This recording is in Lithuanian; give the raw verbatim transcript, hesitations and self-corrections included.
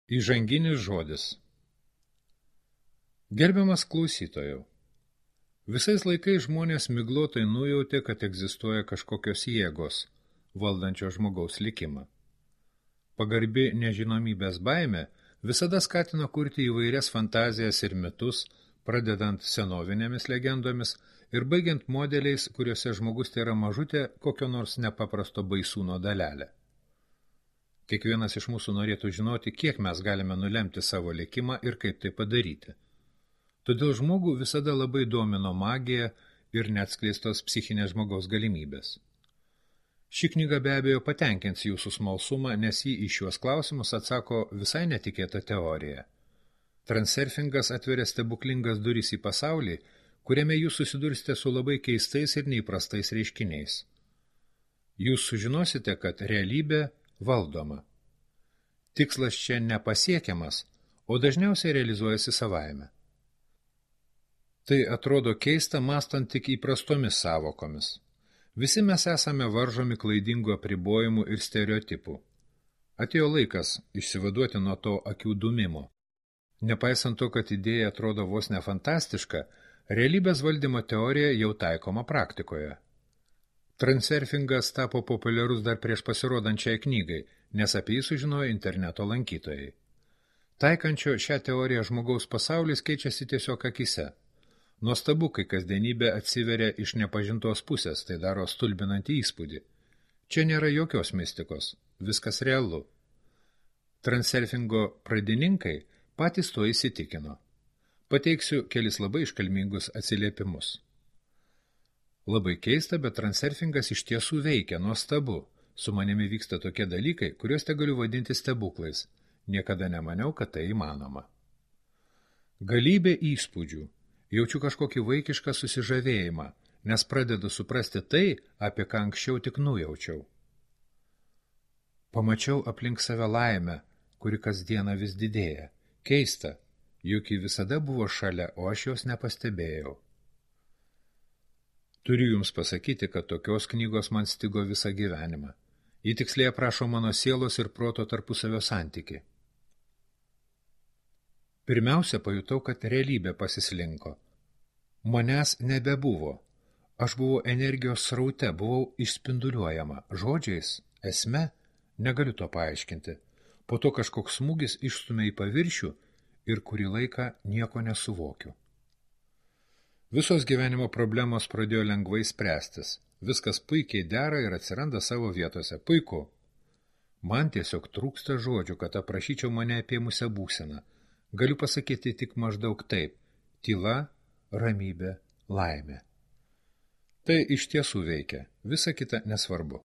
Įžanginis žodis. Gerbiamas klausytojau, visais laikais žmonės miglotai nujautė, kad egzistuoja kažkokios jėgos, valdančios žmogaus likimą. Pagarbi nežinomybės baimė visada skatino kurti įvairias fantazijas ir mitus, pradedant senovinėmis legendomis ir baigiant modeliais, kuriuose žmogus tėra mažutė kokio nors nepaprasto baisūno dalelė. Kiekvienas iš mūsų norėtų žinoti, kiek mes galime nulemti savo likimą ir kaip tai padaryti. Todėl žmogų visada labai domino magija ir neatskleistos psichinės žmogaus galimybės. Ši knyga be abejo patenkins jūsų smalsumą, nes jį į šiuos klausimus atsako visai netikėta teorija. Transurfingas atveria stebuklingas durys į pasaulį, kuriame jūs susidursite su labai keistais ir neįprastais reiškiniais. Jūs sužinosite, kad realybė valdoma. Tikslas čia nepasiekiamas, o dažniausiai realizuojasi savaime. Tai atrodo keista, mąstant tik įprastomis sąvokomis. Visi mes esame varžomi klaidingų apribojimų ir stereotipų. Atėjo laikas išsivaduoti nuo to akių dūmimo. Nepaisant to, kad idėja atrodo vos ne fantastiška, realybės valdymo teorija jau taikoma praktikoje. Transurfingas tapo populiarus dar prieš pasirodančiai knygai, nes apie jį sužinojo interneto lankytojai. Taikančio šią teoriją žmogaus pasaulis keičiasi tiesiog akise. Nuostabu, kai kasdienybė atsiveria iš nepažintos pusės, tai daro stulbinantį įspūdį. Čia nėra jokios mistikos, viskas realu. Transurfingo pradininkai patys to įsitikino. Pateiksiu kelis labai iškalmingus atsiliepimus. Labai keista, bet transurfingas iš tiesų veikia, nuostabu. Su manimi vyksta tokie dalykai, kuriuos te galiu vadinti stebuklais. Niekada nemaniau, kad tai įmanoma. Galybė įspūdžių. Jaučiu kažkokį vaikišką susižavėjimą, nes pradedu suprasti tai, apie ką anksčiau tik nujaučiau. Pamačiau aplink save laimę, kuri kasdieną vis didėja. Keista, juk ji visada buvo šalia, o aš jos nepastebėjau. Turiu jums pasakyti, kad tokios knygos man stigo visą gyvenimą. Ji tiksliai aprašo mano sielos ir proto tarpusavio santykį. Pirmiausia, pajutau, kad realybė pasislinko. Manęs nebebuvo. Aš buvau energijos sraute, buvau išspinduliuojama. Žodžiais, esme, negaliu to paaiškinti. Po to kažkoks smūgis išstumė į paviršių ir kurį laiką nieko nesuvokiu. Visos gyvenimo problemos pradėjo lengvai spręstis. Viskas puikiai dera ir atsiranda savo vietose. Puiku. Man tiesiog trūksta žodžių, kad aprašyčiau mane apėmusią būseną. Galiu pasakyti tik maždaug taip. Tyla, ramybė, laimė. Tai iš tiesų veikia. Visa kita nesvarbu.